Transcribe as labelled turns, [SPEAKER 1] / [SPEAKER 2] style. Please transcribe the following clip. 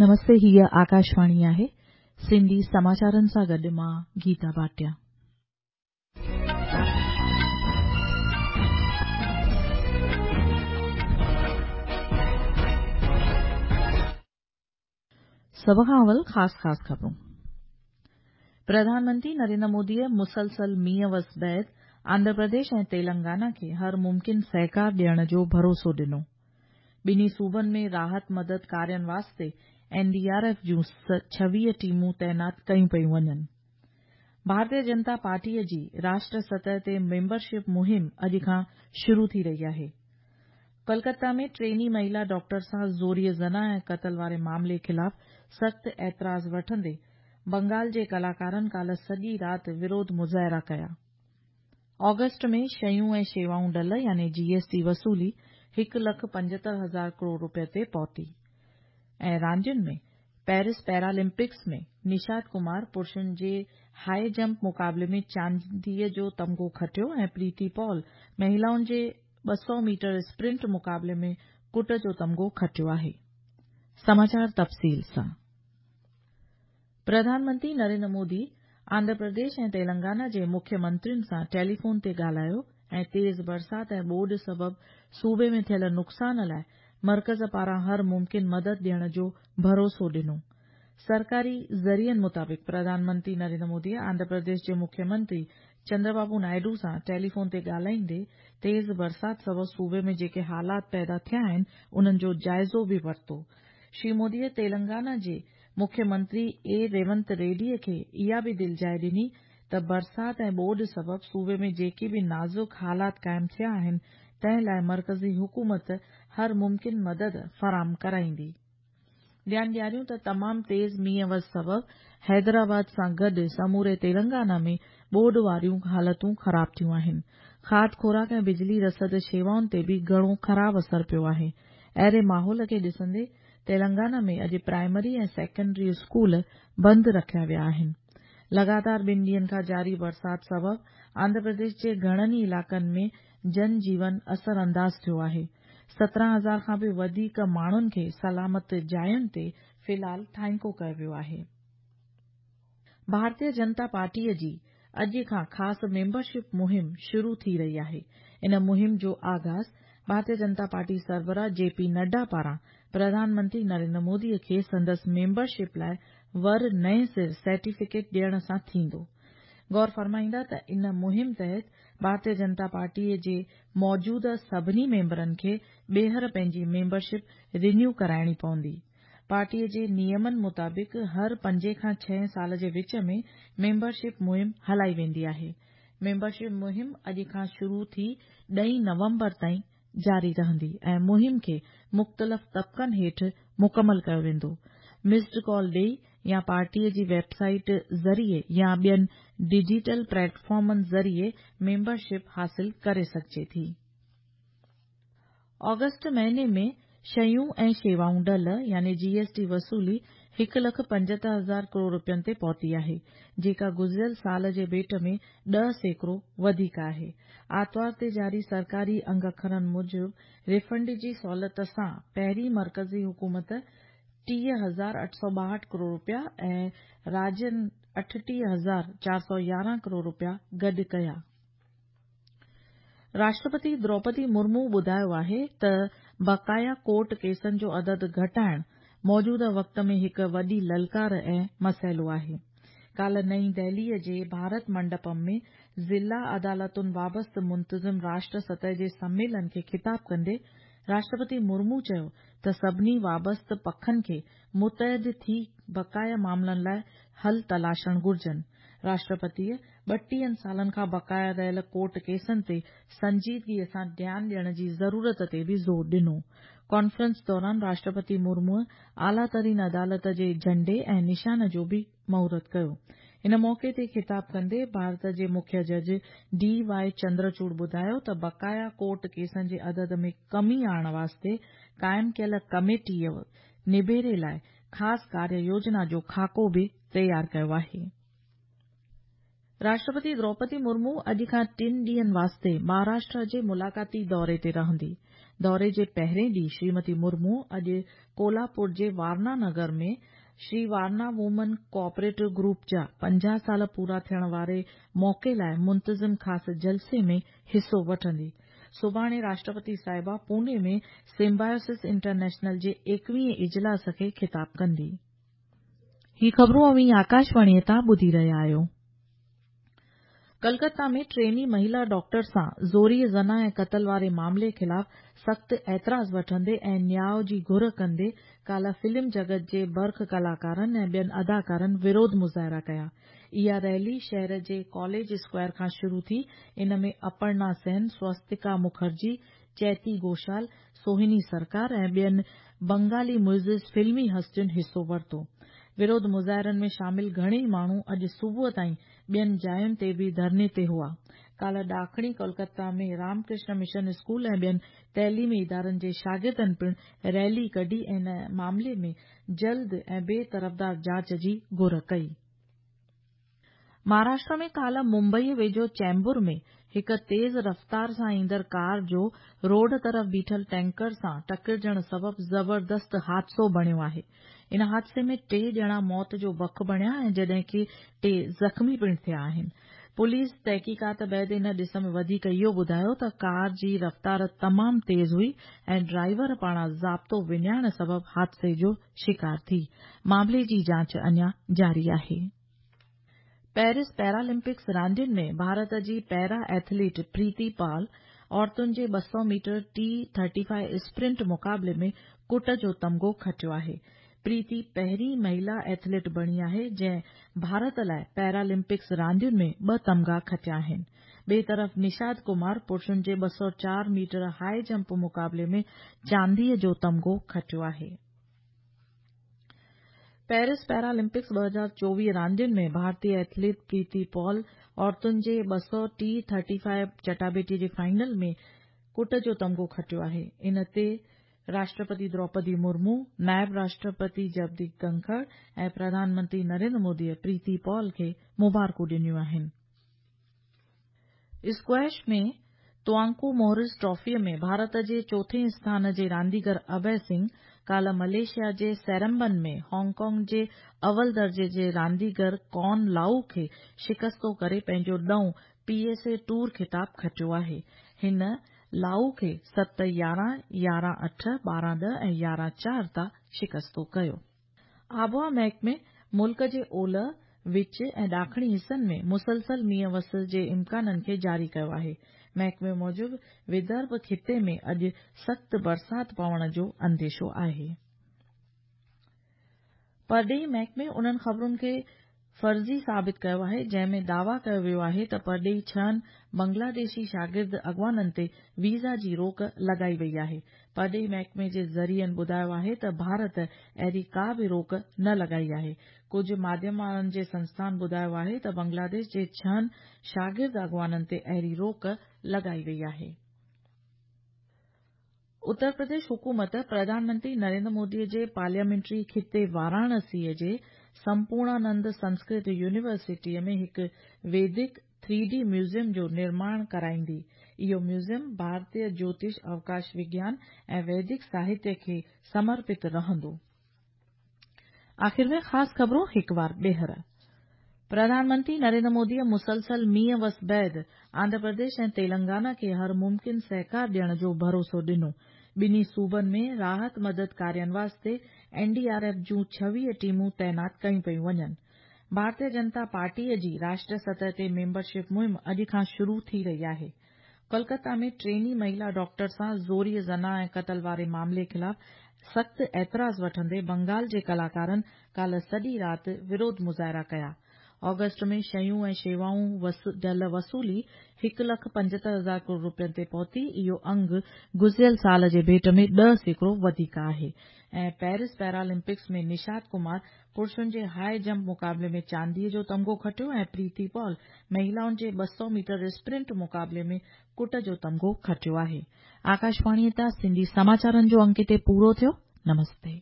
[SPEAKER 1] نمستي هيء آڪاشواڻي آهي سنڌي سماچارن سان گڏ مان گيتا ڀاٽيا. سڀ کان اول خاص خاص خبرون. پرڌان منتري نريندر موديء مسلسل مينهن وس بعد آنڌرا پرديش ۽ تيلنگانا کي هر ممڪن سهڪار ڏيڻ جو ڀروسو ڏنو. ٻنهي صوبن ۾ راحت مدد ڪارين واسطي اين ڊي آر ايف جون 26 ٽيمون تعينات ڪيون پيون وڃن. ڀارتيه جنتا پارٽيء جي راشٽر سطح تي ميمبرشپ مهم اڄ کان شروع ٿي رهي آهي. ڪولڪتا ۾ ٽريني مهيلا ڊاڪٽر سان زوريء زنا ۽ قتل واري معاملي خلاف سخت اعتراض وٺندي بنگال جي ڪلاڪارن ڪالهه سڄي رات وروڌ مظاهرا ڪيا. آگسٽ ۾ شيون ۽ شيوائون ڊل يعني جي ايس ٽي وصولي هڪ لک 75 هزار ڪروڙ رپين تي پهتي ۽ راندين ۾ پيرس پيرالمپڪس ۾ نشاد ڪمار پرشن جي هاء جمپ مقابلي ۾ چانديء جو تمغو کٽيو ۽ پريتي پال مهيلائن جي 200 ميٽر اسپرنٽ مقابلي ۾ ڪٽ جو تمغو کٽيو آهي. سماچار تفصيل سان. پرڌان منتري نريندر مودي آنڌرا پرديش ۽ تيلنگانا جي مکيه منترين سان ٽيليفون تي ڳالهايو ۽ تيز برسات ۽ ٻوڏ سبب صوبي ۾ ٿيل نقصان لاء مرڪز پاران هر ممڪن مدد ڏيڻ جو ڀروسو ڏنو. سرڪاري ذريعن مطابق پرڌان منتري نريندر مودي آنڌرا پرديش جي مکيه منتري چندربابو نائيڊو سان ٽيليفون تي ڳالهائيندي تيز برسات سبب صوبي ۾ جيڪي حالات پيدا ٿيا آهن انهن جو جائزو به ورتو. شري موديء تيلنگانا جي مکيه منتري اي ريونت ريڊيء کي اها به دلجاء ڏني ته برسات ۽ ٻوڏ سبب صوبي ۾ جيڪي به نازڪ حالات قائم ٿيا آهن تنهن لاء مرڪزي حڪومت هر ممڪن مدد فراهم ڪرائيندي. ڌيان ڏياريون ته تمام تيز مينهن وس سبب حيدرآباد سان گڏ سموري تيلنگانا ۾ ٻوڏ واريون حالتون خراب ٿيون آهن. کاڌ خوراڪ ۽ بجلي رسد شيوائن تي به گهڻو خراب اثر پيو آهي. اهڙي ماحول کي ڏسندي تيلنگانا ۾ اڄ پرائمري ۽ سيڪنڊري اسڪول بند رکيا ويا آهن. لڳاتار ٻن ڏينهن کان جاري برسات سبب آنڌرا پرديش جي گهڻن ئي علائقن ۾ جن جيون اثر انداز ٿيو آهي. 17 هزار کان به وڌيڪ ماڻهن کي سلامت جاين تي في الحال ٿانيڪو ڪيو ويو آهي. ڀارتيه جنتا پارٽيء جي اڄ کان خاص ميمبرشپ مهم شروع ٿي رهي آهي. ان مهم جو آغاز ڀارتيه جنتا پارٽي سربراهه جي پي نڊا پاران پرڌان منتري نريندر مودي کي سندس ميمبرشپ لاء ور نئين سر سرٽيفڪيٽ ڏيڻ سان ٿيندو. غور فرمائيندا ته ان مهم تحت ڀارتيه جنتا پارٽي جي موجوده سڀني ميمبرن کي ٻيهر پنهنجي ميمبرشپ رينيو ڪرائڻي پوندي. پارٽيء جي نيمن مطابق هر پنجين کان ڇهين سال جي وچ ۾ ميمبرشپ مهم هلائي ويندي آهي. ميمبرشپ مهم اڄ کان شروع ٿي ڏهين نومبر تائين جاري رهندي ۽ مهم کي مختلف طبقن هيٺ مڪمل ڪيو ويندو. مسڊ ڪال ڏئي يا پارٽيء جي ويب سائيٽ ذريعي يا ٻين ڊجيٽل پليٽفارمن ذريعي ميمبرشپ حاصل ڪري سگهجي ٿي. آگسٽ مهيني ۾ شيون ۽ شيوائون ڊل يعني جي ايس ٽي وصولي هڪ لک 75 هزار ڪروڙ رپين تي پهتي آهي، جيڪا گذريل سال جي ڀيٽ ۾ 10% وڌيڪ آهي. آتوار تي جاري سرڪاري انگ اکرن موجب ريفنڊ جي سهولت سان پهرين مرڪزي حڪومت 30,862 ڪروڙ رپيا ۽ راجين 38,411 ڪروڙ رپيا گڏ ڪيا. راشٽرپتي دروپدي مرمو ٻڌايو آهي ته بقايا ڪورٽ ڪيسن جو عدد گهٽائڻ موجوده وقت ۾ هڪ وڏي للڪار ۽ مسئلو آهي. ڪالهه نئين دهليء جي ڀارت منڊپم ۾ ضلع عدالتن وابسته منتظم راشٽر سطح جي سميلن کي خطاب ڪندي راشٽرپتي مرمو چيو ته سڀني وابسته پکن کي متحد ٿي بقايا معاملن لاء حل تلاشڻ گهرجن. راشٽرپتيء 32 سالن کان بقايا رهيل ڪورٽ ڪيسن تي سنجيدگيء سان ڌيان ڏيڻ جي ضرورت تي به زور ڏنو. ڪانفرنس دوران راشٽرپتي مرموء اعليٰ ترين عدالت جي جهنڊي ۽ نشان جو به مهورت ڪيو. ان موقعي تي خطاب ڪندي ڀارت جي مکيه جج ڊي وائي چندرچوڙ ٻڌايو ته بقايا ڪورٽ ڪيسن جي عدد ۾ ڪمي آڻڻ واسطي قائم ڪيل ڪميٽيء نبيري لاء خاص ڪاريه يوجنا جو خاڪو به تيار ڪيو آهي. راشٽرپتي دروپدي مرمو اڄ کان ٽن ڏينهن واسطي مهاراشٽر جي ملاقاتي دوري تي رهندي. دوري جي پهرين ڏينهن شريمتي مرمو اڄ ڪولهاپور جي وارنا نگر ۾ Shri Warna women cooperative group جا 50 سال پورا ٿيڻ واري موقعي لاء منتظم خاص جلسي ۾ حصو وٺندي. سڀاڻي راشٽرپتي صاحبه پوني ۾ سمبايوسس انٽرنيشنل جي 21هين اجلاس کي خطاب ڪندي. هي خبرون اوهين آڪاشواڻيء تان ٻڌي رهيا آهيو. ڪلڪتا ۾ ٽريني مهيلا ڊاڪٽر سان زوريء زنا ۽ قتل واري معاملي خلاف سخت اعتراض وٺندي ۽ نياء جي گهر ڪندي ڪالهه فلم جڳت جي برک ڪلاڪارن ۽ ٻين اداڪارن وروڌ مظاهرا ڪيا. اها ريلي شهر جي ڪاليج اسڪوائر کان شروع ٿي، ان ۾ اپرنا سين، سوستڪا مکرجي، چيتي گهوشال، سوهني سرڪار ۽ ٻين بنگالي معزز فلمي هستين حصو ورتو. وروڌ مظاهرن ۾ شامل گهڻيئي ماڻهو اڄ صبح تائين ٻين جاين تي به ڌرڻي تي هئا. ڪالهه ڏاکڻي ڪولڪتا ۾ رام ڪرشن مشن اسڪول ۽ ٻين تعليمي ادارن جي شاگردن پڻ ريلي ڪڍي ۽ ان معاملي ۾ جلد ۽ بي طرفدار جاچ جي گهر ڪئي. مهاراشٽر ۾ ڪالهه ممبئي ويجهو چيمبور ۾ هڪ تيز رفتار سان ايندڙ ڪار جو روڊ طرف بيٺل ٽينڪر سان ٽڪرجڻ سبب زبردست حادثو بڻيو آهي. ان حادثي ۾ ٽي ڄڻا موت جو بک بڻيا ۽ جڏهن ڪي ٽي زخمي پڻ ٿيا آهن. پوليس تحقيقات بعد ان ڏس ۾ وڌيڪ اهو ٻڌايو ته ڪار جي رفتار تمام تيز هئي ۽ ڊرائيور پاڻان ضابطو وڃائڻ سبب حادثي جو شڪار ٿي. معاملي جي جاچ اڃا جاري آهي. پيرس پيرالمپڪس راندين ۾ ڀارت جي پيرا ايٿليٽ پريتي پال عورتن جي 200 ميٽر ٽي ٿرٽي فائيو اسپرنٽ مقابلي ۾ ڪٽ جو تمغو کٽيو آهي. پريتي پهرين مهيلا ايٿليٽ بڻي آهي جنهن ڀارت لاء پيرالمپڪس راندين ۾ ٻه تمغا کٽيا آهن. ٻئي طرف نشاد ڪمار پرشن جي 204 ميٽر هاء جمپ مقابلي ۾ چانديء جو تمغو کٽيو آهي. پيرس پيرالمپڪس 2024 راندين ۾ ڀارتي ايٿليٽ پريتي پال عورتن جي 200 ٽي ٿرٽي فائيو چٽاڀيٽي جي فائنل ۾ ڪٽ جو تمغو کٽيو آهي. ان تي راشٽرپتي دروپدي مرمو، نائب راشٽرپتي جگديپ ڌنکڙ ۽ پرڌان منتري نريندر مودي پريتي پال کي مبارڪون ڏنيون آهن. اسڪواش ۾ توانڪو مورس ٽرافيء ۾ ڀارت جي چوٿين اسٿان جي رانديگر اڀي سنگهه ڪالهه ملائيشيا جي سيرمبن ۾ هانگ ڪانگ جي اول درجي جي رانديگر ڪان لائو کي شڪستو ڪري پنهنجو ڏهون پي ايس اي ٽوئر خطاب کٽيو آهي. هن لائو کي 7 11، 11 8، 12 10 ۽ 11 4 تان شڪستو ڪيو. آبهوا محڪمي ملڪ جي اولهه، وچ ۽ ڏاکڻي حصن ۾ مسلسل مينهن وس جي امڪانن کي جاري ڪيو آهي. محڪمي موجب ودرڀ خطي ۾ اڄ سخت برسات پوڻ جو انديشو آهي. پرڏيهي محڪمي انهن خبرن کي فرضي ثابت ڪيو آهي جنهن ۾ دعويٰ ڪيو ويو آهي ته پرڏيهي ڇهن بنگلاديشي شاگرد اڳواڻن تي ويزا جي روڪ لڳائي وئي آهي. پرڏيهي محڪمي جي ذريعن ٻڌايو آهي ته ڀارت اهڙي ڪا به روڪ نه لڳائي آهي. ڪجهه ماڌيم وارن جي سنسٿان ٻڌايو آهي ته بنگلاديش جي ڇهن شاگرد اڳواڻن تي اهڙي روڪ لڳائي وئي آهي. اتر پرديش حڪومت پرڌان منتري نريندر مودي جي پارليامينٽري خطي واراڻسي جي سمپورڻانند سنسڪرت يونيورسٽيء ۾ هڪ ويدڪ ٿري ڊي ميوزيم جو نرماڻ ڪرائيندي. اهو ميوزيم ڀارتي جوتش اوڪاش وگيان ۽ ويدڪ ساهتيه کي سمرپت رهندو. آخر ۾ خاص خبرون هڪ وار ٻيهر. پرڌان منتري نريندر موديء مسلسل مينهن وس بعد آنڌرا پرديش ۽ تيلنگانا کي هر ممڪن سهڪار ڏيڻ جو ڀروسو ڏنو. ٻنهي صوبن ۾ راحت مدد ڪارين واسطي اين ڊي آر ايف جون 26 ٽيمون تعينات ڪيون پيون وڃن. ڀارتيه جنتا پارٽيء جي راشٽر سطح تي ميمبرشپ مهم اڄ کان شروع ٿي رهي آهي. ڪولڪتا ۾ ٽريني مهيلا ڊاڪٽر سان زوريء زنا ۽ قتل واري معاملي خلاف سخت اعتراض وٺندي بنگال جي ڪلاڪارن ڪالهه سڄي رات وروڌ مظاهرا ڪيا. آگسٽ ۾ شيون ۽ شيوائون ڍل وصولي هڪ لک 75 هزار ڪروڙ رپين تي پهتي، اهو انگ گذريل سال جي ڀيٽ ۾ 10% وڌيڪ آهي ۽ پيرس پيرالمپڪس ۾ نشاد ڪمار پرشن جي هاء جمپ مقابلي ۾ چانديء جو تمغو کٽيو ۽ پريتي پال مهيلائن جي 200 ميٽر اسپرنٽ مقابلي ۾ ڪٽ جو تمغو کٽيو آهي. آڪاشواڻيء تان سنڌي سماچارن جو انڪ هتي پورو ٿيو. نمستي.